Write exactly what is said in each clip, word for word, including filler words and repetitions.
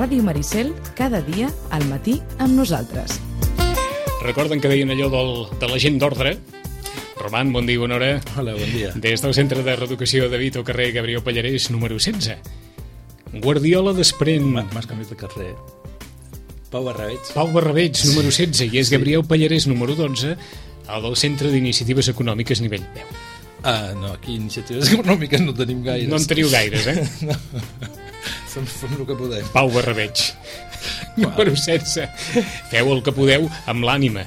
Ràdio Maricel, cada dia al matí amb nosaltres. Recorden que deien allò del, de la gent d'ordre? Roman, bon dia, bona hora. Hola, bon dia. Des del Centre de Reeducació de Vito, carrer Gabriel Pallarès, número setze. Guardiola desprèn... M'has canviat de carrer. Pau Barrabeig. Pau Barrabeig, número setze, i és Gabriel Pallarès, número dotze, el del Centre d'Iniciatives Econòmiques nivell deu. Ah, no, aquí iniciatives econòmiques no tenim gaires. No en teniu gaires, eh? No. Som, fem el que podem. Pau Barrabeig, número setze. Feu el que podeu amb l'ànima,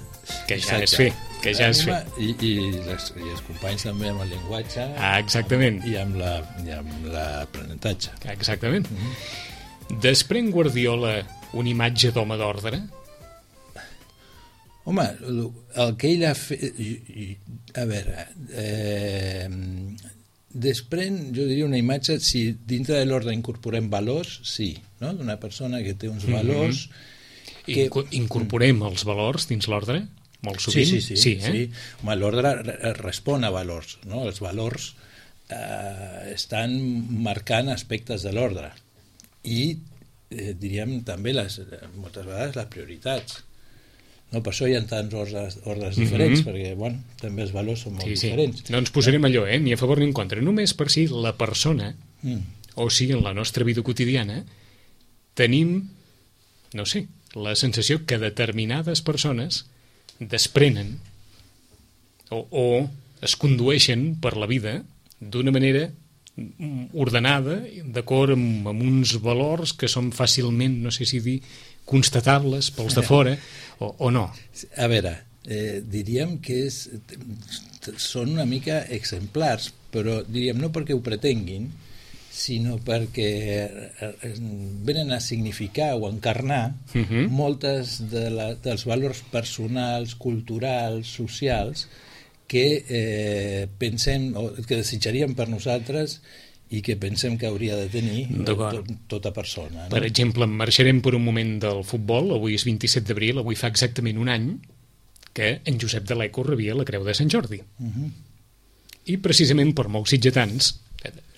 que ja Exacte. és fer, que ja és fer. I, i, les, I els companys també amb el llenguatge. Ah, exactament. I amb la, i amb l'aprenentatge. Exactament. Mm-hmm. Desprèn Guardiola una imatge d'home d'ordre? Home, el que ell ha fet... A veure... Eh, desprèn, jo diria, una imatge, si dintre de l'ordre incorporem valors, sí, no? D'una persona que té uns valors... Mm-hmm. que... Inco incorporem els valors dins l'ordre? Molt sovint? Sí, sí, sí. sí, eh? sí. Home, l'ordre respon a valors, no? Els valors eh, estan marcant aspectes de l'ordre i eh, diríem també les, moltes vegades les prioritats. No, per això hi ha tants ordres, ordres Mm-hmm. diferents, perquè bueno, també els valors són molt sí, sí. diferents. No ens posarem allò, eh? Ni a favor ni en contra. Només per si la persona, Mm. o sigui, en la nostra vida quotidiana, tenim, no sé, la sensació que determinades persones desprenen o, o es condueixen per la vida d'una manera ordenada, d'acord amb, amb uns valors que són fàcilment, no sé si dir, constatables pels de fora o, o no. A veure, eh, diríem que és, són una mica exemplars, però diríem no perquè ho pretenguin, sinó perquè venen a significar o encarnar Uh-huh. moltes de la, dels valors personals, culturals, socials que eh, pensem o que desitjaríem per nosaltres i que pensem que hauria de tenir tot, tota persona. No? Per exemple, marxarem per un moment del futbol. Avui és vint-i-set d'abril, avui fa exactament un any que en Josep de l'Eco rebia la Creu de Sant Jordi. Uh-huh. I precisament per molts sitgetans,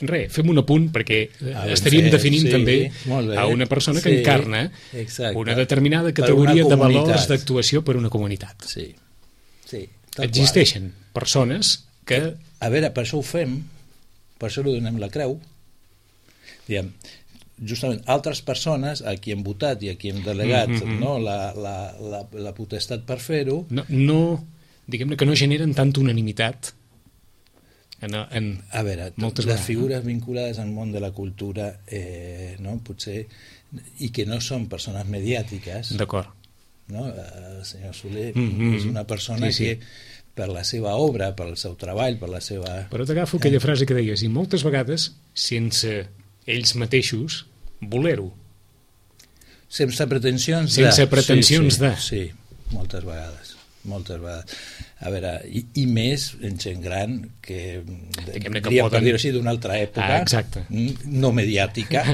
res, fem un apunt perquè Ah, estaríem fet, definint sí, també molt bé. a una persona que Sí, encarna exacte. una determinada Per categoria una de valors comunitat. d'actuació per una comunitat. Sí, sí. tal Existeixen persones que... A veure, per això ho fem, per això li donem la creu. Diguem, justament altres persones a qui hem votat i a qui hem delegat Mm-hmm. no, la, la, la, la potestat per fer-ho, No, no, diguem-ne que no generen tanta unanimitat en, en a veure, moltes les vegades, figures vinculades al món de la cultura eh, no, potser, i que no són persones mediàtiques, d'acord. no? El senyor Soler Mm-hmm. és una persona Sí, sí. que per la seva obra, pel seu treball, per la seva... Però t'agafo aquella frase que deies, i moltes vegades sense ells mateixos voler-ho. Sense pretensions Sense de... pretensions sí, sí, de. Sí, moltes vegades. Moltes vegades. A veure, i, i més en gent gran que, Diguem-ne que diria, poden- per dir-ho així, d'una altra època, Ah, exacte. no mediàtica.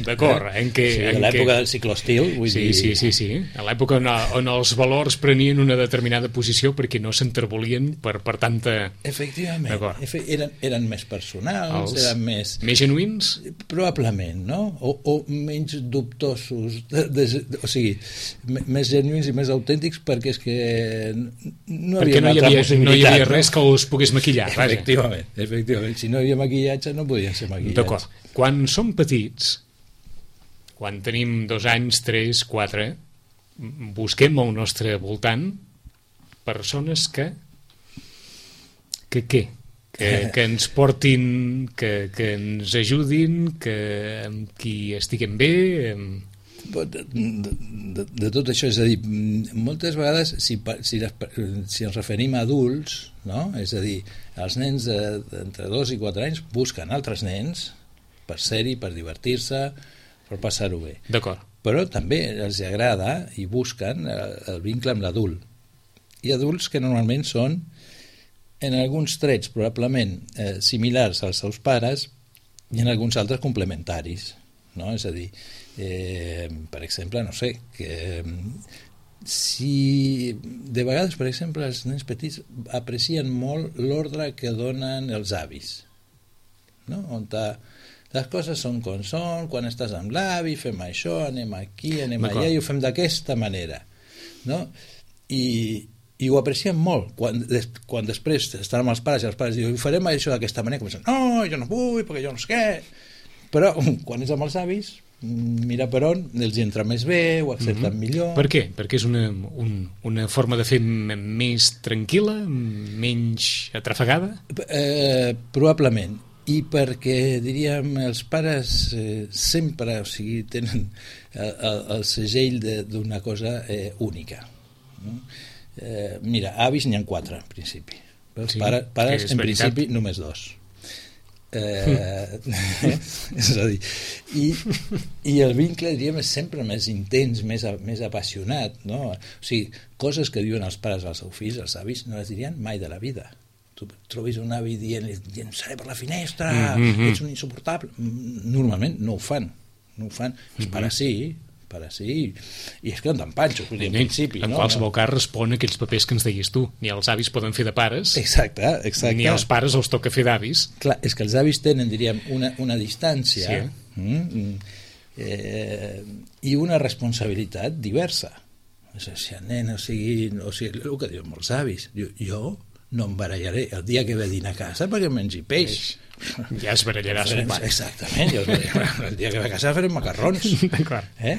D'acord, en què... Sí, en de l'època què- del ciclostil, vull Sí, dir... sí, sí, sí. A l'època on, on els valors prenien una determinada posició perquè no s'enterbolien per, per tanta... Efectivament. D'acord. Efe, eren, eren més personals, Els eren més... Més genuïns? Probablement, no? O, o menys dubtosos, de, de, de, o sigui, me- més genuïns i més autèntics perquè és que no Perquè havia no hi una altra havia, no hi possibilitat. havia res que els pogués maquillar. Vaja. Efectivament, efectivament. Si no hi havia maquillatge, no podien ser maquillats. D'acord. Quan som petits, quan tenim dos anys, tres, quatre, busquem al nostre voltant persones que que què? Que, que ens portin, que, que ens ajudin, que amb qui estiguem bé... Amb... De, de, de, de tot això, és a dir, moltes vegades si, si, les, si ens referim a adults, no? És a dir, els nens d'entre dos i quatre anys busquen altres nens per ser-hi, per divertir-se, per passar-ho bé. D'acord. Però també els agrada i busquen el, el vincle amb l'adult. Hi ha adults que normalment són, en alguns trets probablement eh, similars als seus pares i en alguns altres complementaris, no? És a dir, eh, per exemple, no sé, que si de vegades, per exemple, els nens petits aprecien molt l'ordre que donen els avis, no? On ta, Les coses són com són, quan estàs amb l'avi, fem això, anem aquí, anem allà, i ho fem d'aquesta manera. No? I, i ho apreciem molt. Quan, des, quan després estan amb els pares i els pares diuen, farem això d'aquesta manera, comencen, no, jo no vull, perquè jo no sé què. Però quan és amb els avis, mira per on, els hi entra més bé, ho accepten mm-hmm. millor. Per què? Perquè és una, un, una forma de fer més tranquil·la, menys atrafegada? Eh, probablement. I perquè, diríem, els pares eh, sempre, o sigui, tenen el, el, el segell d'una cosa eh, única. No? Eh, mira, avis n'hi ha quatre, en principi. Els sí, pares, pares en veritat. Principi, només dos. Eh, és a dir, i, i el vincle, diríem, és sempre més intens, més, més apassionat, no? O sigui, coses que diuen els pares als seus fills, els avis, no les dirien mai de la vida. Tu trobis un avi dient, dient seré per la finestra, mm-hmm. ets un insuportable. Normalment no ho fan, no ho fan. Mm-hmm. Els pares sí, pares sí, i és que en panxo, en principi. En no? qualsevol cas respon a aquells papers que ens deies tu. Ni els avis poden fer de pares, exacte, exacte. Ni els pares els toca fer d'avis. Clar, és que els avis tenen, diríem, una, una distància sí. mm, eh, i una responsabilitat diversa. O sigui, nen, o sigui, o sigui, el que diuen molts avis, jo, jo no em barallaré el dia que ve a dinar a casa perquè mengi peix. Ja es barallarà son pare. Exactament, ja el dia que ve a casa farem macarrons. D'acord. Eh?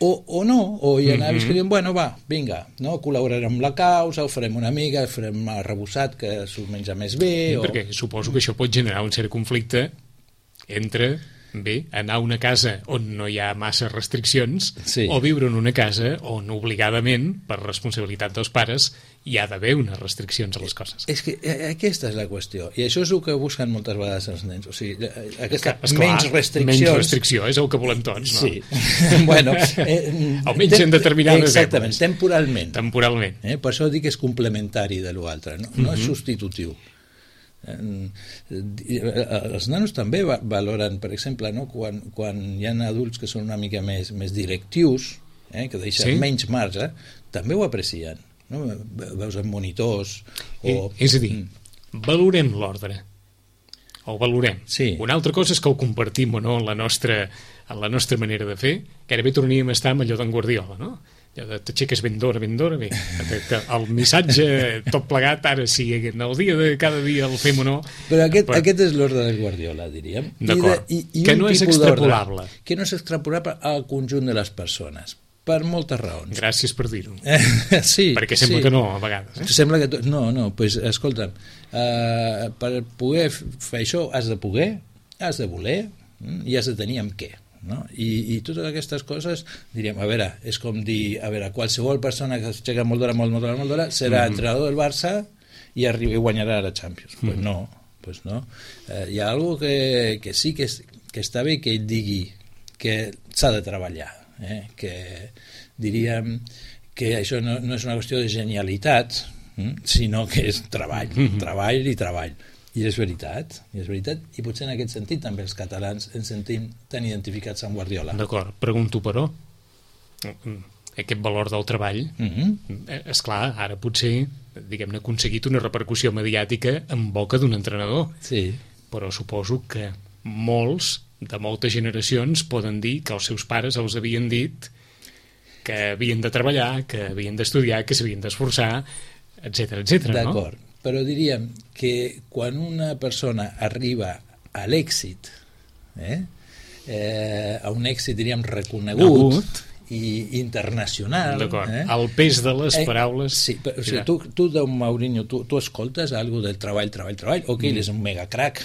O, o no, o hi ha avis mm-hmm. que diuen, bueno, va, vinga, no? Col·laborarem amb la causa, ho farem una mica, farem arrebossat que s'ho menja més bé. Sí, o... perquè suposo que això pot generar un cert conflicte entre... bé, anar a una casa on no hi ha massa restriccions sí. o viure en una casa on obligadament, per responsabilitat dels pares, hi ha d'haver unes restriccions a les coses. És que aquesta és la qüestió, i això és el que busquen moltes vegades els nens, o sigui, aquesta Esclar, menys restriccions... Menys restricció és el que volem tots, no? Sí, bueno... Eh, almenys en determinades exactament, èpoques. Temporalment. Temporalment. Eh, per això dic que és complementari de l'altre, no, no mm-hmm. és substitutiu. Els nanos també valoren, per exemple, no? quan, quan hi ha adults que són una mica més, més directius, eh? que deixen sí? menys marge, també ho aprecien, no? Veus en monitors o... és a dir, valorem l'ordre o valorem sí. una altra cosa és que ho compartim o no en la nostra, en la nostra manera de fer, que ara bé tornaríem a estar amb allò d'en Guardiola, no? T'aixeques ben d'hora, ben d'hora, bé, el missatge tot plegat, ara sí, en el dia de cada dia el fem o no. Però aquest, però... aquest és l'ordre de Guardiola, diríem. D'acord, I de, i, i que no és extrapolable. Que no és extrapolable al conjunt de les persones, per moltes raons. Gràcies per dir-ho. sí, perquè sembla sí. que no, a vegades. Eh? Sembla que to... No, no, doncs escolta'm, uh, per poder fer això has de poder, has de voler i has de tenir amb què. No? I, i totes aquestes coses, diríem, a veure, és com dir, a veure, qualsevol persona que s'aixeca molt d'hora, molt, molt d'hora, molt d'hora, serà mm-hmm. entrenador del Barça i, arriba, i guanyarà la Champions. Mm-hmm. Pues no, pues no. Eh, hi ha algo que, que sí que, és, que està bé que ell digui que s'ha de treballar, eh? Que diríem que això no, no és una qüestió de genialitat, hm? sinó que és treball, mm-hmm. treball i treball. I és veritat, i és veritat, i potser en aquest sentit també els catalans ens sentim tan identificats amb Guardiola. D'acord, pregunto però, aquest valor del treball, mm-hmm. esclar, ara potser, diguem-ne, ha aconseguit una repercussió mediàtica en boca d'un entrenador, sí. però suposo que molts, de moltes generacions, poden dir que els seus pares els havien dit que havien de treballar, que havien d'estudiar, que s'havien d'esforçar, etcètera, etcètera, no? D'acord. Però diríem que quan una persona arriba a l'èxit, eh, eh, a un èxit, diríem, reconegut Agut. i internacional... D'acord, eh, el pes de les eh, paraules... Sí, però, o sigui, tu, tu d'un Mourinho, tu, tu escoltes alguna del treball, treball, treball, ok, mm. ell és un mega crack,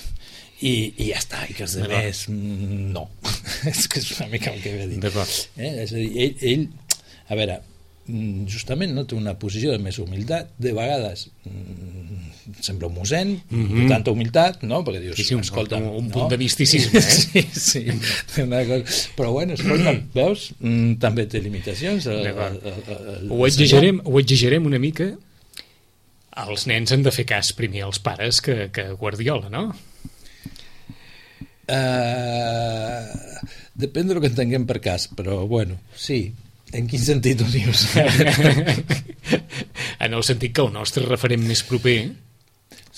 i, i ja està, i que els demés no. És que és una mica el que he dit. D'acord. Eh? És a dir, ell, ell, a veure, justament no té una posició de més humilitat, de vegades mm, sembla un mossèn, mm-hmm. de tanta humilitat, no? Perquè dius, sí, sí, un, escolta, un, un no? punt de misticisme, eh? sí, sí, una cosa. Però bueno, escolta, veus, mm, també té limitacions. El, el, el, el, ho, exagerem, ho exagerem una mica. Els nens han de fer cas primer als pares que, que Guardiola, no? Uh, depèn del que entenguem per cas, però bueno, sí. En quin sentit ho dius? En el sentit que el nostre referent més proper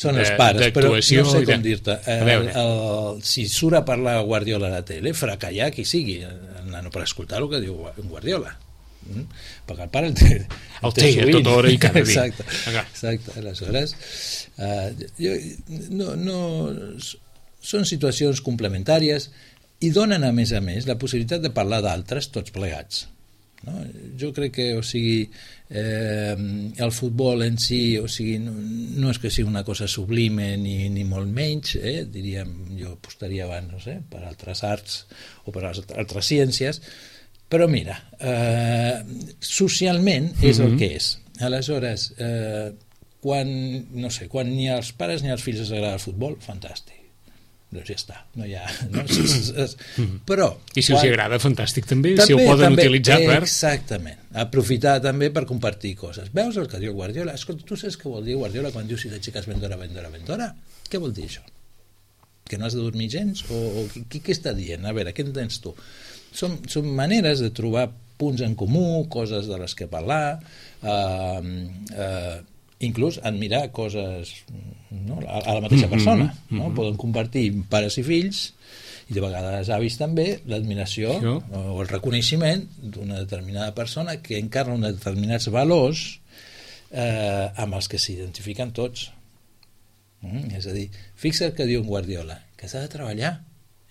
Són els pares, però no sé com de... dir-te. El, el, si surt a parlar Guardiola a la tele, farà callar qui sigui, el nano, per escoltar el que diu Guardiola. Mm? Perquè el pare el té, el el té, té a tota hora i cada dia. Exacte, exacte. Aleshores, uh, jo, no, no, són situacions complementàries i donen, a més a més, la possibilitat de parlar d'altres tots plegats. No? Jo crec que, o sigui, eh, el futbol en si, o sigui, no, no és que sigui una cosa sublime ni, ni molt menys, eh? Diríem, jo apostaria abans, no sé, per altres arts o per altres ciències, però mira, eh, socialment és mm-hmm. el que és. Aleshores, eh, quan, no sé, quan ni als pares ni als fills els agrada el futbol, fantàstic. Doncs ja està, no hi ha... No? Però... I si quan... us agrada, fantàstic també, també si ho poden també, utilitzar per... Exactament, aprofitar també per compartir coses. Veus el que diu Guardiola? Escolta, tu saps què vol dir Guardiola quan diu si de xiques vendora, vendora, vendora? Què vol dir això? Que no has de dormir gens? O, o què, què està dient? A veure, què entens tu? Són, són maneres de trobar punts en comú, coses de les que parlar, eh, eh, inclús admirar coses, no, a, a la mateixa persona, mm-hmm, no? Mm-hmm. Poden compartir pares i fills i de vegades avis també l'admiració sí. o el reconeixement d'una determinada persona que encarna uns determinats valors eh, amb els que s'identifiquen tots. Mm? És a dir, fixa't que diu en Guardiola que s'ha de treballar.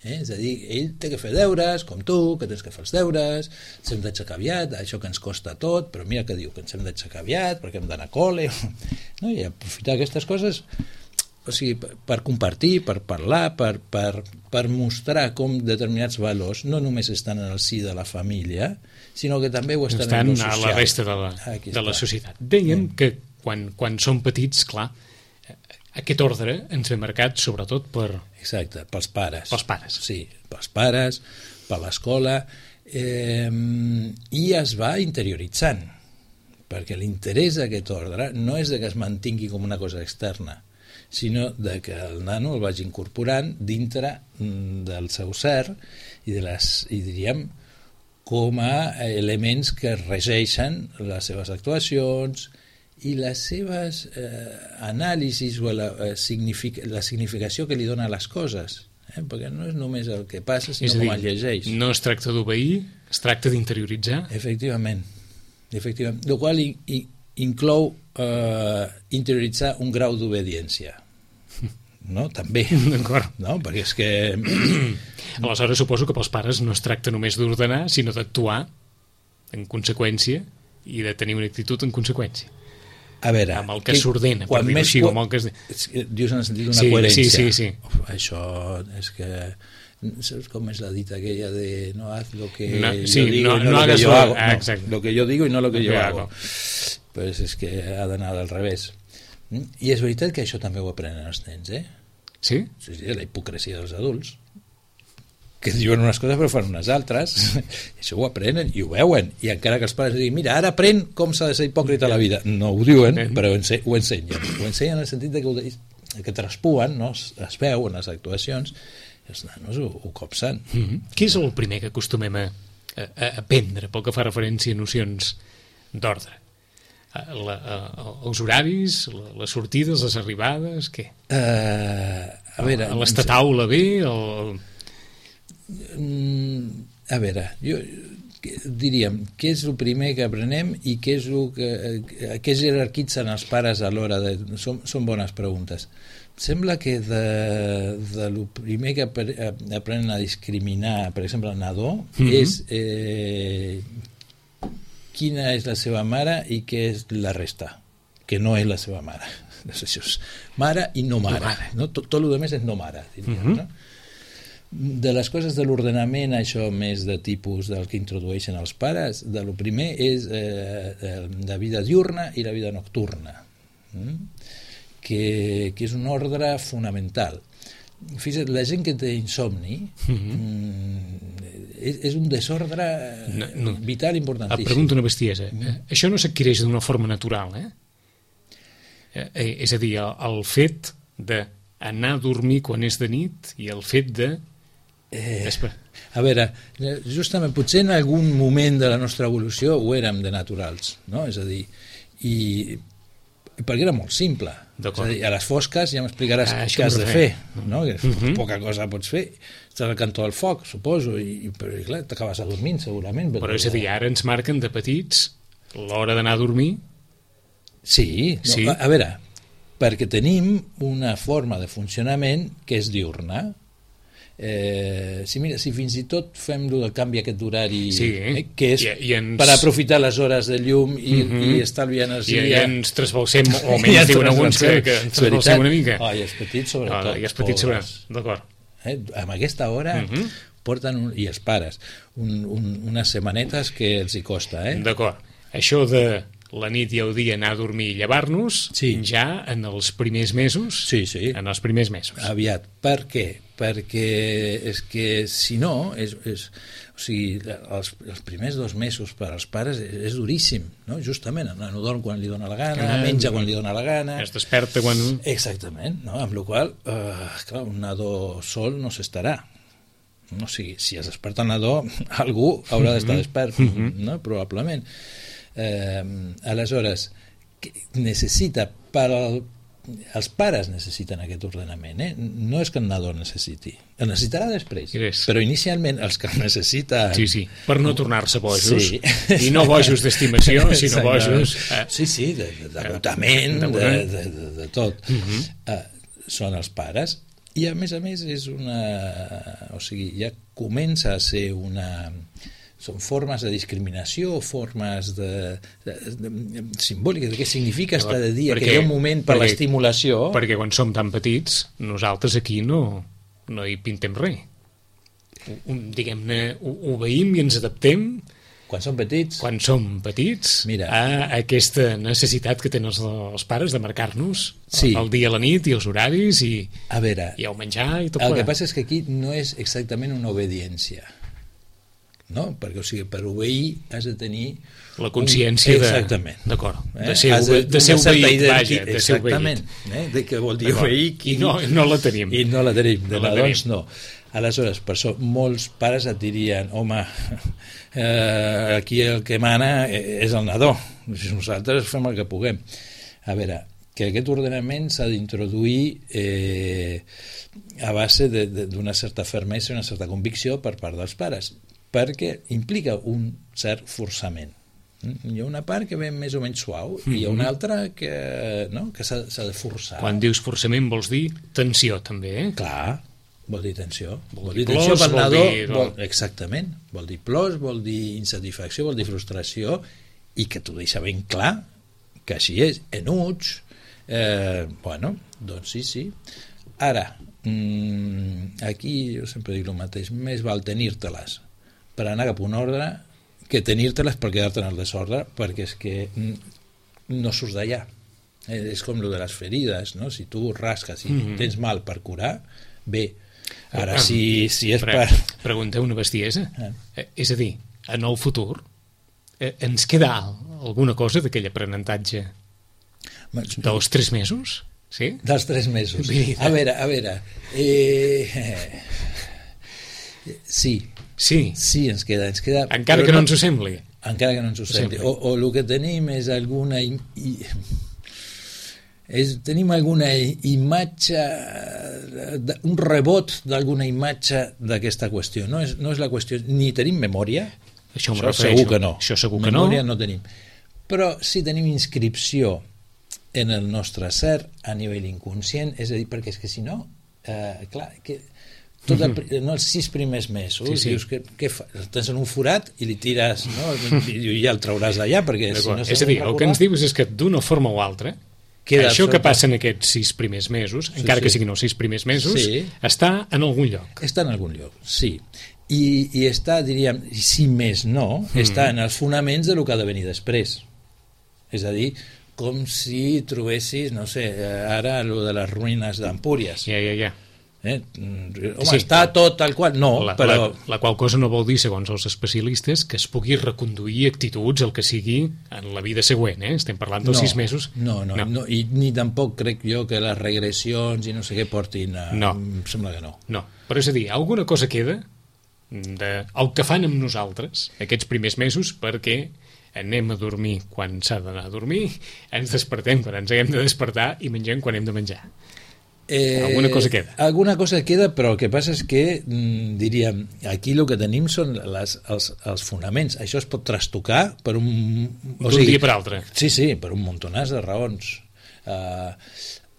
Eh? És a dir, ell té que fer deures, com tu, que tens que fer els deures, ens hem d'aixecar aviat, això que ens costa tot, però mira que diu que ens hem d'aixecar aviat, perquè hem d'anar a col·le, no? I aprofitar aquestes coses, o sigui, per compartir, per parlar, per, per, per mostrar com determinats valors no només estan en el si de la família, sinó que també ho estan, estan en el social. A la resta de la, de la societat. Dèiem mm. que quan, quan som petits, clar, aquest ordre ens ve marcat sobretot per... Exacte, pels pares. Pels pares. Sí, pels pares, per l'escola, eh, i es va interioritzant, perquè l'interès d'aquest ordre no és de que es mantingui com una cosa externa, sinó de que el nano el vagi incorporant dintre del seu ser i, de les, i diríem, com a elements que regeixen les seves actuacions i les seves eh, anàlisis o la, eh, signific la significació que li dona a les coses, eh? Perquè no és només el que passa, sinó com es llegeix. No es tracta d'obeir, es tracta d'interioritzar. Efectivament. Efectivament. El qual i, i, inclou eh, interioritzar un grau d'obediència. No? També. D'acord. No? Perquè és que... Aleshores suposo que pels pares no es tracta només d'ordenar, sinó d'actuar en conseqüència i de tenir una actitud en conseqüència. A veure, amb el que s'ordena, per dir-ho així, amb el que es... Dius en el sentit d'una sí, coherència. Sí, sí, sí. Uf, això és que... ¿Sabes cómo es la dita aquella de no haz lo que no, yo sí, digo no, y no, no lo hagas que yo lo, hago? Ah, no, lo que yo digo y no lo que lo yo que hago. hago. Pues és que ha d'anar al revés. I és veritat que això també ho aprenen els nens, eh? Sí? Sí, sí, la hipocresia dels adults. Que diuen unes coses però fan unes altres. I això ho aprenen i ho veuen. I encara que els pares diguin, mira, ara aprèn com s'ha de ser hipòcrita a la vida. No ho diuen, però ho ensenyen. Ho ensenyen en el sentit de que, ho, que traspuen, no? es, es veu en les actuacions, i els nanos ho, ho copsen. Mm-hmm. Què és el primer que acostumem a, a, a aprendre pel que fa referència a nocions d'ordre? La, a, els horaris, la, les sortides, les arribades, què? Uh, a veure... L'estataula bé? El... A veure, jo diríem, què és el primer que aprenem i què és el que, què jerarquitzen els pares a l'hora de... Són, són bones preguntes. Sembla que de, de lo primer que aprenen a discriminar, per exemple, el nadó, mm-hmm. és eh, quina és la seva mare i què és la resta, que no és la seva mare. Això és mare i no mare. No mare. No? Tot, tot el que més és no mare, diríem, mm-hmm. no? De les coses de l'ordenament, això més de tipus del que introdueixen els pares, de lo primer és eh, la vida diurna i la vida nocturna, mm? que, que és un ordre fonamental. Fixa't, la gent que té insomni mm-hmm. és, és un desordre no, no. vital importantíssim. Et pregunto una bestiesa. Mm. Això no s'adquireix d'una forma natural, eh? eh? És a dir, el, el fet d'anar a dormir quan és de nit i el fet de Eh, a veure, justament potser en algun moment de la nostra evolució ho érem de naturals, no? És a dir, i perquè era molt simple. És a dir, a les fosques ja m'explicaràs ah, què has de fer, no? Que uh -huh. poca cosa pots fer. Estàs al cantó del foc, suposo, i, i però, clar, t'acabes adormint, segurament. Però és a dir, ara ens marquen de petits l'hora d'anar a dormir. Sí, no, sí. A, a veure, perquè tenim una forma de funcionament que és diurna. Eh, si, mira, si fins i tot fem el canvi aquest d'horari, sí, eh, que és I, i ens... per aprofitar les hores de llum i, uh -huh. i estalviar energia, i, i ens trasbalsem, o menys diuen alguns que, que ens trasbalsem una mica. Oh, I els petits sobretot. Oh, i els petits sobretot, d'acord. Eh, amb aquesta hora uh -huh. porten, un, i els pares, un, un, unes setmanetes que els hi costa. Eh? D'acord. Això de la nit i el dia anar a dormir i llevar-nos, sí. ja en els primers mesos. Sí, sí. En els primers mesos. Aviat. Per què? Perquè és que si no, és, és, o sigui, els, els primers dos mesos per als pares és, és duríssim, no? Justament, el nano dorm quan li dóna la gana, ah, menja quan li dóna la gana... Es desperta quan... Exactament, no? Amb la qual cosa, eh, clar, un nadó sol no s'estarà. No, o sigui, si es desperta el nadó, algú haurà d'estar despert, mm -hmm. no? Probablement. Eh, aleshores, necessita per al els pares necessiten aquest ordenament, eh? No és que el nadó necessiti, el necessitarà després, yes. però inicialment els que el necessiten... Sí, sí, per no tornar-se bojos, sí. i no bojos d'estimació, sinó bojos... Eh? Sí, sí, d'agotament, de, de, de, de, de tot. Uh -huh. uh, són els pares, i a més a més és una... O sigui, ja comença a ser una... Són formes de discriminació, formes de, de, de, de simbòliques, de què significa estar de dia, perquè, que hi ha un moment per l'estimulació... Perquè quan som tan petits, nosaltres aquí no, no hi pintem res. Diguem-ne, obeïm i ens adaptem... Quan som petits? Quan som petits, Mira. a aquesta necessitat que tenen els, els pares de marcar-nos sí. el dia, la nit i els horaris i, a veure, i el menjar i tot el plegat. que passa és que aquí no és exactament una obediència, no? Perquè, o sigui, per obeir has de tenir la consciència un... de... Exactament. D'acord. Eh? De ser, de, de ser obeït, vaja, de ser exactament. Eh? De què vol dir obeir? I no, no la tenim. I no la tenim, de no la nadons no. Aleshores, per això, molts pares et dirien, home, eh, aquí el que mana és el nadó, nosaltres fem el que puguem. A veure, que aquest ordenament s'ha d'introduir eh, a base d'una certa fermesa i una certa convicció per part dels pares, perquè implica un cert forçament. Hi ha una part que ve més o menys suau mm-hmm. i hi ha una altra que, no? que s'ha de forçar. Quan dius forçament vols dir tensió també, eh? Clar, vol dir tensió. Vol, vol dir dir plors, tensió pel nadó. Dir... Vol, exactament. Vol dir plors, vol dir insatisfacció, vol dir frustració, i que t'ho deixa ben clar que així és. Enuig, eh, bueno, doncs sí, sí. Ara, mmm, aquí jo sempre dic el mateix, més val tenir-te-les per anar cap a un ordre que tenir-te-les per quedar-te en el desordre, perquè és que no surts d'allà. Eh, és com lo de les ferides, no? Si tu rasques i mm-hmm. tens mal per curar, bé. Ara, ah, si, si és pre per... Pregunteu una bestiesa. Ah. Eh, és a dir, en el futur eh, ens queda alguna cosa d'aquell aprenentatge dels tres mesos? Sí? Dels tres mesos. A veure, a veure... Eh... Sí. Sí. Sí, ens queda. Ens queda encara que no, no ens ho sembli. Encara que no ens ho sembli. O, o el que tenim és alguna... I, i, és, tenim alguna imatge, un rebot d'alguna imatge d'aquesta qüestió. No és, no és la qüestió... Ni tenim memòria. Això, Això segur que no. Això segur que memòria no. no tenim. Però sí tenim inscripció en el nostre ser a nivell inconscient, és a dir, perquè és que si no, eh, clar, que tot el, no, els sis primers mesos sí, sí. dius que, què fa? El tens en un forat i li tires, no? I ja el trauràs d'allà perquè si no és a dir, el que ens dius és que d'una forma o altra queda això que passa en aquests sis primers mesos, sí, encara sí. que siguin els sis primers mesos, sí. està en algun lloc. Està en algun lloc, sí. I, i està, diríem, si més no, mm. està en els fonaments de lo que ha de venir després. És a dir, com si trobessis, no sé, ara lo de les ruïnes d'Empúries. Ja, ja, ja. Eh? Home, sí, està tot tal qual, no, la, però... La, la qual cosa no vol dir, segons els especialistes, que es pugui reconduir actituds el que sigui en la vida següent, eh? Estem parlant dels no, sis mesos. No, no, no, no, i ni tampoc crec jo que les regressions i no sé què portin a... No. Em sembla que no. No, però és a dir, alguna cosa queda de el que fan amb nosaltres aquests primers mesos perquè anem a dormir quan s'ha d'anar a dormir, ens despertem quan ens haguem de despertar i mengem quan hem de menjar. Eh, alguna cosa queda. Alguna cosa queda, però el que passa és que, mm, diríem, aquí el que tenim són les, els, els fonaments. Això es pot trastocar per un... D'un sigui, dia per altre. Sí, sí, per un montonàs de raons. Uh,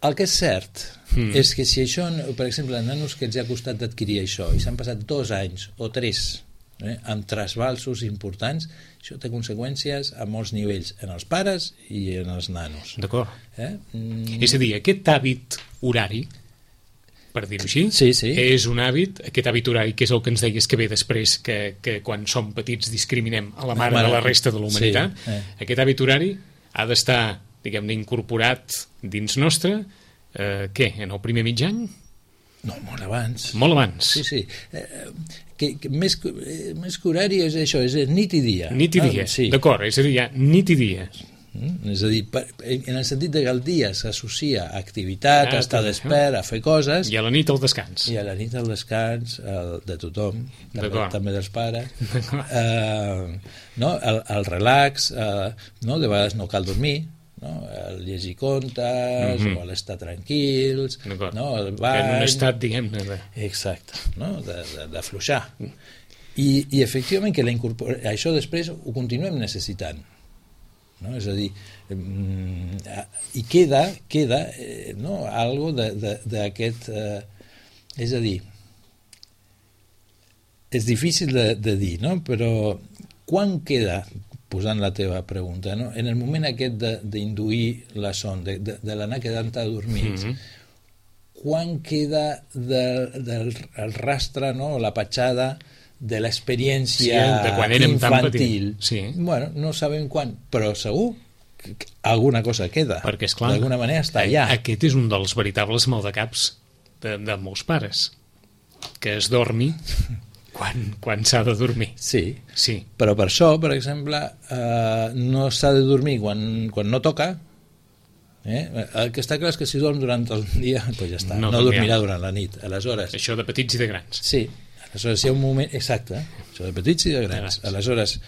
el que és cert mm. és que si això, per exemple, els nanos que els ha costat d'adquirir això i s'han passat dos anys o tres eh, amb trasbalsos importants, això té conseqüències a molts nivells, en els pares i en els nanos. D'acord. Eh? Mm. És a dir, aquest hàbit horari, per dir-ho així, sí, sí. és un hàbit, aquest hàbit horari, que és el que ens deies que ve després, que, que quan som petits discriminem a la mare, mare de la resta de la humanitat, sí, eh. aquest hàbit horari ha d'estar, diguem-ne, incorporat dins nostre, eh, què, en el primer mig any? No, molt abans. Molt abans. Sí, sí. Eh, que, que més, eh, més que horari és això, és nit i dia. Nit i dia, ah, sí. D'acord, és a dir, hi ha nit i dia. Mm? És a dir, per, en el sentit que el dia s'associa a activitat, ah, a estar despert, a fer coses... I a la nit el descans. I a la nit el descans el, de tothom, també, també dels pares. Uh, no? el, el relax, uh, no? De vegades no cal dormir, no? El llegir contes, mm-hmm. o l'estar tranquils, no? El bany... En un estat, diguem-ne... De... Exacte, no? D'afluixar. I, I efectivament que la incorpora... això després ho continuem necessitant. No? És a dir, eh, i queda, queda eh, no? algo d'aquest... Eh, és a dir, és difícil de, de dir, no? Però quan queda, posant la teva pregunta, no? En el moment aquest d'induir la son, de, de, de l'anar quedant adormits, mm-hmm. quan queda del, del el rastre, no? La petjada de l'experiència sí, infantil. Sí. Bueno, no sabem quan, però segur que alguna cosa queda. Perquè, esclar, d'alguna manera està allà. Aquest és un dels veritables maldecaps de, de molts pares, que es dormi quan, quan s'ha de dormir. Sí. sí, però per això, per exemple, eh, no s'ha de dormir quan, quan no toca. Eh? El que està clar és que si dorm durant el dia, doncs ja està, no, no dormirà durant la nit. Aleshores, això de petits i de grans. Sí. Aleshores, hi ha un moment... Exacte, això de petits i de grans. Aleshores,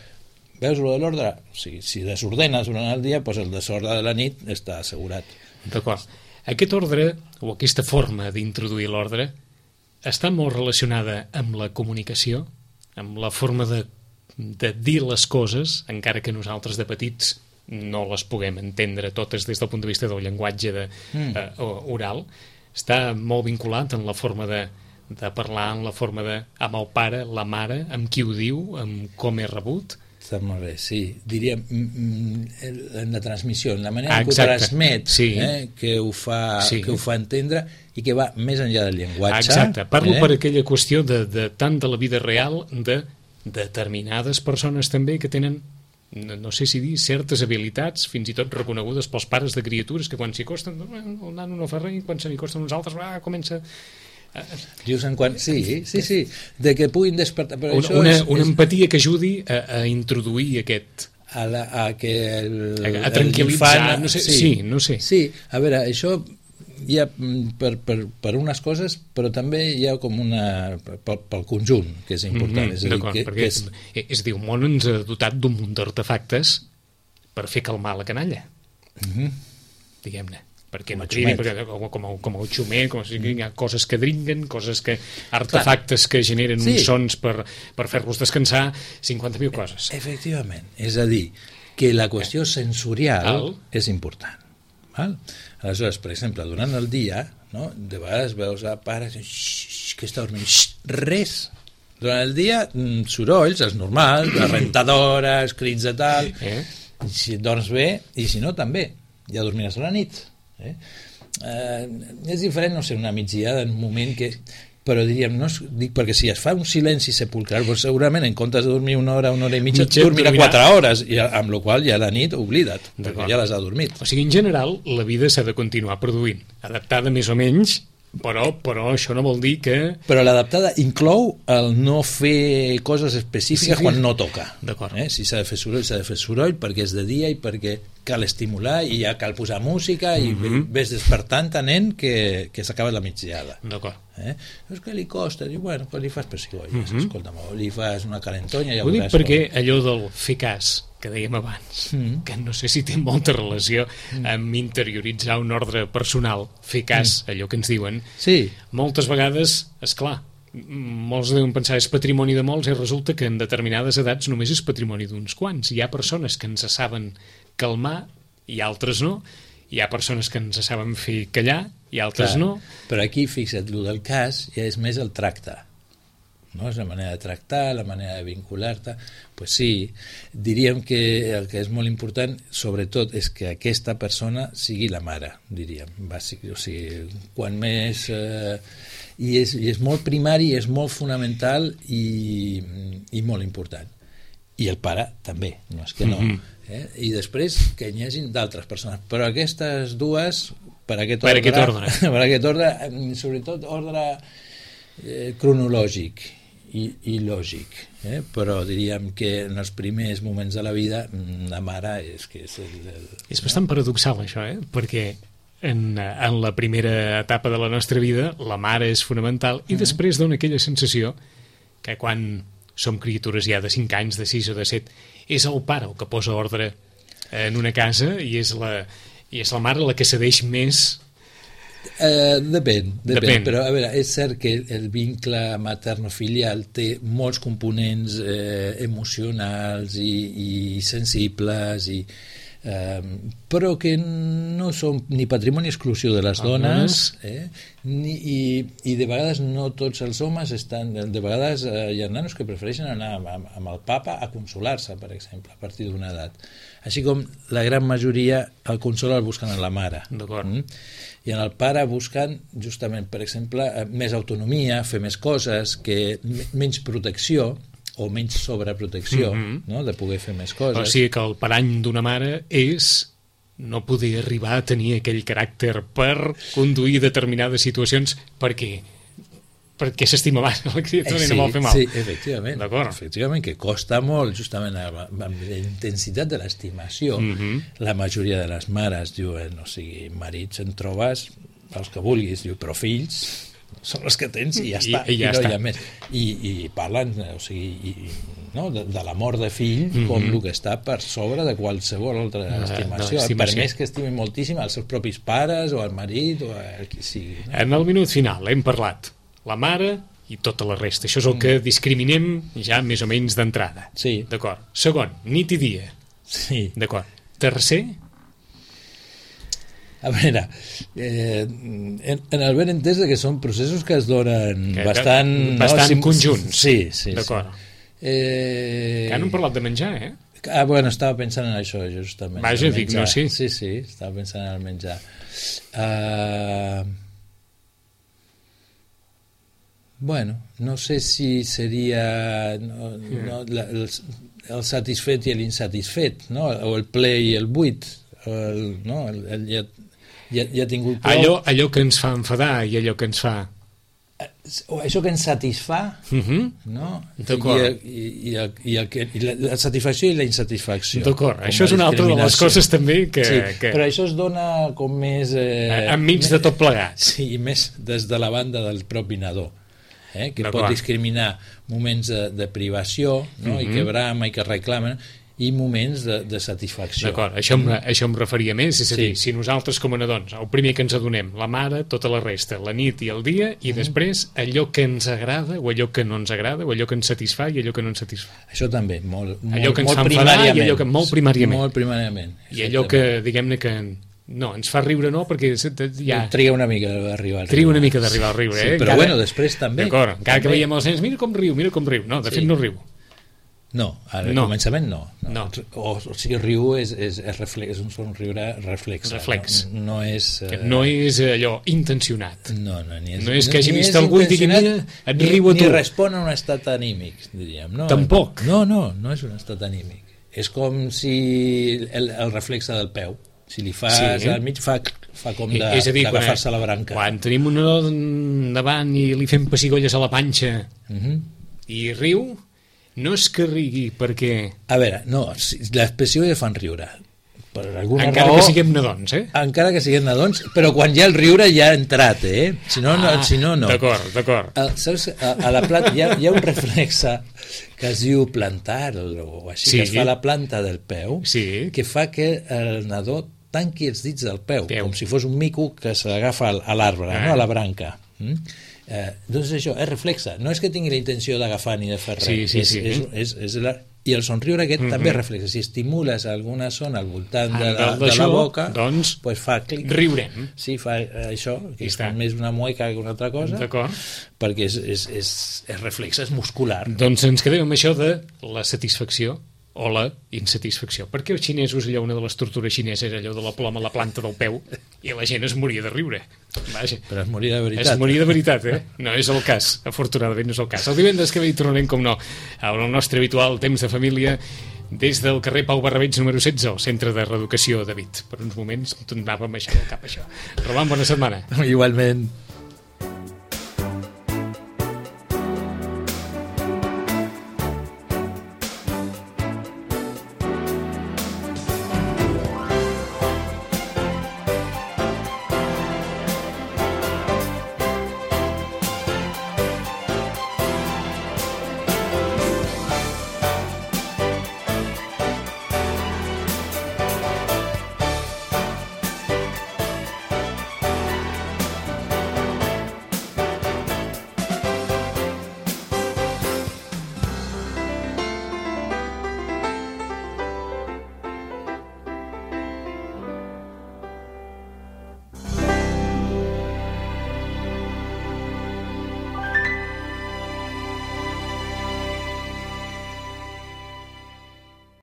veus lo de l'ordre? O sigui, si desordenes durant el dia, doncs el desordre de la nit està assegurat. D'acord. Aquest ordre, o aquesta forma d'introduir l'ordre, està molt relacionada amb la comunicació, amb la forma de, de dir les coses, encara que nosaltres de petits no les puguem entendre totes des del punt de vista del llenguatge de, mm. eh, oral. Està molt vinculat en la forma de de parlar en la forma de amb el pare, la mare, amb qui ho diu, amb com és rebut. Està molt bé, sí. Diríem en la transmissió, en la manera ah, que ho transmet, sí. eh, que, ho fa, sí. que ho fa entendre i que va més enllà del llenguatge. Exacte. Parlo eh? per aquella qüestió de, de tant de la vida real de determinades persones també que tenen, no, no sé si dir, certes habilitats, fins i tot reconegudes pels pares de criatures, que quan s'hi costen, el nano no fa res, quan se n'hi costen uns altres, ah, comença... Just en quan... Sí, sí, sí, de que puguin despertar... Però una, això una, és, una és... empatia que ajudi a, a introduir aquest... A, la, a que el, a, a tranquil·litzar, infant, no sé, sí, sí, no sé. Sí, a veure, això hi ha per, per, per unes coses, però també hi ha com una... pel, pel conjunt, que és important. Mm-hmm, és a dir, que, perquè que és... és, és dir, el món ens ha dotat d'un munt d'artefactes per fer calmar la canalla. Mm-hmm. Diguem-ne. Perquè no cridi, perquè, com, com, el, com el xumer, com si hi ha coses que dringuen, coses que, artefactes Clar. que generen sí. uns sons per, per fer-los descansar, cinquanta mil coses. Efectivament, és a dir, que la qüestió sensorial Al. és important. Val? Aleshores, per exemple, durant el dia, no, de vegades veus a pares que està dormint, res. Durant el dia, sorolls, els normals, les rentadores, crits de tal, eh? Si dorms bé, i si no, també. Ja dormiràs a la nit. Eh? Eh, és diferent, no sé, una migdiada en un moment que, però diríem, no, dic, perquè si es fa un silenci sepulcral, doncs segurament en comptes de dormir una hora, una hora i mitja, mitja dormirà quatre hores, i amb la qual ja la nit oblida't, perquè ja les ha dormit. O sigui, en general, la vida s'ha de continuar produint, adaptada més o menys, però, però això no vol dir que... Però l'adaptada inclou el no fer coses específiques sí, quan no toca. D'acord. Eh? Si s'ha de fer soroll, s'ha de fer soroll perquè és de dia i perquè cal estimular i ja cal posar música i Mhm. ves despertant a nen que, que s'acaba la migdiada. D'acord. Eh? És que li costa, diu, bueno, pues li fas pessigolles, Mhm. escolta'm, o li fas una calentonya i ja Ho dic veuràs perquè com. allò del fer cas que dèiem abans, Mm. que no sé si té molta relació amb interioritzar un ordre personal, fer cas, allò que ens diuen, Sí, moltes vegades, és clar, molts deuen pensar és patrimoni de molts i resulta que en determinades edats només és patrimoni d'uns quants. Hi ha persones que ens saben calmar i altres no. Hi ha persones que ens saben fer callar i altres clar, no. però aquí, fixa't, el del cas ja és més el tracte, no? És la manera de tractar, la manera de vincular-te. Pues sí, diríem que el que és molt important, sobretot, és que aquesta persona sigui la mare, diríem. Bàsic, o sigui, quan més... Eh, i, és, I és molt primari, és molt fonamental i, i molt important. I el pare també, no és que no. Mhm. Eh? I després que hi hagi d'altres persones. Però aquestes dues, per aquest Per ordre, aquest ordre. per aquest ordre, sobretot ordre eh, cronològic i, i lògic, eh? Però diríem que en els primers moments de la vida la mare és que és el, el, És bastant paradoxal això, eh? Perquè en, en la primera etapa de la nostra vida la mare és fonamental i després dona aquella sensació que quan som criatures ja de cinc anys, de sis o de set, és el pare el que posa ordre en una casa i és la, i és la mare la que cedeix més. Eh, depèn, depèn, Depèn. però a veure, és cert que el vincle materno-filial té molts components eh, emocionals i, i sensibles i eh, però que no són ni patrimoni exclusiu de les dones eh, ni, i, i de vegades no tots els homes estan, de vegades eh, hi ha nanos que prefereixen anar amb, amb el papa a consolar-se, per exemple, a partir d'una edat, així com la gran majoria el consol el busquen en la mare. D'acord. Mm? I en el pare busquen justament, per exemple, més autonomia, fer més coses, que menys protecció o menys sobreprotecció, Mhm. no? De poder fer més coses. O sigui que el parany d'una mare és no poder arribar a tenir aquell caràcter per conduir determinades situacions perquè perquè s'estima més la criatura Eh, i no vol fer mal. Sí, efectivament, D'acord. efectivament, que costa molt, justament amb amb la intensitat de l'estimació. Mhm. La majoria de les mares diuen, o sigui, marits en trobes els que vulguis, diu, però fills són els que tens i ja I- està, i ja no està. hi ha més. I, i parlen, o sigui, i, no, de, de l'amor de fill Mhm. com el que està per sobre de qualsevol altra De- de estimació, l'estimació. per més que estimin moltíssim els seus propis pares o el marit o el qui sigui. No? En el minut final hem parlat la mare i tota la resta. Això és el que discriminem ja més o menys d'entrada. Sí. D'acord. Segon, nit i dia. Sí. D'acord. Tercer, A veure, eh, en, en el ben entès que són processos que es donen Que- que- bastant... bastant sim- conjunts. Sí, sí. D'acord. Sí. Eh, que no hem parlat de menjar, eh? Ah, bueno, estava pensant en això, justament. Vaja, el dic, menjar. no, sí. Sí, sí, estava pensant en el menjar. Uh, bueno, no sé si seria no, no, la, el, el satisfet i l'insatisfet, no? O el ple i el buit. El, no? el, el, ja, ja, ja ha tingut prou. Allò, allò que ens fa enfadar i allò que ens fa... O això que ens satisfà, Uh -huh. no? D'acord. I, el, i, i, el, i, el, que- i la, la satisfacció i la insatisfacció. D'acord, Com això a és una altra de les discriminació. coses també que... Sí, que... però això es dona com més... Eh, enmig de tot plegat. Sí, i més des de la banda del propi nadó, eh, que D'acord. pot discriminar moments de, de privació, no? I Mhm. que brama i que reclamen, i moments de, de satisfacció. D'acord, això, em, això em referia més, és a dir, Sí. si nosaltres com a nadons, el primer que ens adonem, la mare, tota la resta, la nit i el dia, i després allò que ens agrada, o allò que no ens agrada, o allò que ens satisfà i allò que no ens satisfà. Això també, molt, molt, Allò que ens molt fa enfadar i primàriament. allò que molt primàriament. Molt primàriament. I allò que, diguem-ne que... No, ens fa riure no, perquè ja... Triga una mica d'arribar al Triga una riure. mica d'arribar al riure, Sí, eh? però Encara- bueno, després també. D'acord, encara que També. veiem els nens, mira com riu, mira com riu. No, de Sí. fet no riu. No, al No. començament no. No. O, o sigui, riu és, és, és, reflex, és un somriure reflex. Reflex. No, no és... Que eh, no és allò intencionat. No, no, ni és, No és que hagi ni vist és algú i digui, intencionat, mira, et ni, riu a ni tu. respon a un estat anímic, diríem. No, Tampoc. No, no, no és un estat anímic. És com si el, el reflexe del peu. Si li fas Sí. al mig, fa, fa com I- de- és a dir, quan, d'agafar-se a la branca. quan tenim un nadó davant i li fem pessigolles a la panxa Uh -huh. i riu, no és que rigui perquè... A veure, no, si- les pessigolles fan riure, per alguna encara raó... que siguem nadons, eh? Encara que siguem nadons, però quan ja el riure ja ha entrat, eh? Si no, no. Ah, si no, no. D'acord, d'acord. A, saps, a, a la planta hi ha, hi ha un reflexe que es diu plantar o així, Sí. que es fa a la planta del peu, Sí. que fa que el nadó tanqui els dits del peu, Peu. com si fos un mico que s'agafa al- a l'arbre, Ah. no? A la branca. Mm? Eh, doncs això, és reflexe. No és que tingui la intenció d'agafar ni de fer res. Sí, sí, és, sí. És, és, és la... I el somriure aquest Mhm. també és reflexe. Si estimules alguna zona al voltant de Ah, la, del- de la d'això, boca, doncs, pues fa clic. riurem. Sí, fa eh, això, que I és està. més una mueca que una altra cosa, D'acord. perquè és, és, és, és reflexe, és muscular. Doncs ens quedem amb això de la satisfacció o la insatisfacció. Perquè els xinesos, allò, una de les tortures xineses, allò de la ploma a la planta del peu, i la gent es moria de riure. Vaja. Però es moria de veritat. Es moria de veritat, eh? No és el cas, afortunadament no és el cas. El divendres que ve hi tornarem, com no, al nostre habitual temps de família, des del carrer Pau Barrabets número setze, al Centre de Reeducació David. Per uns moments em tornàvem a aixecar el cap, això. Roman, bona setmana. Igualment.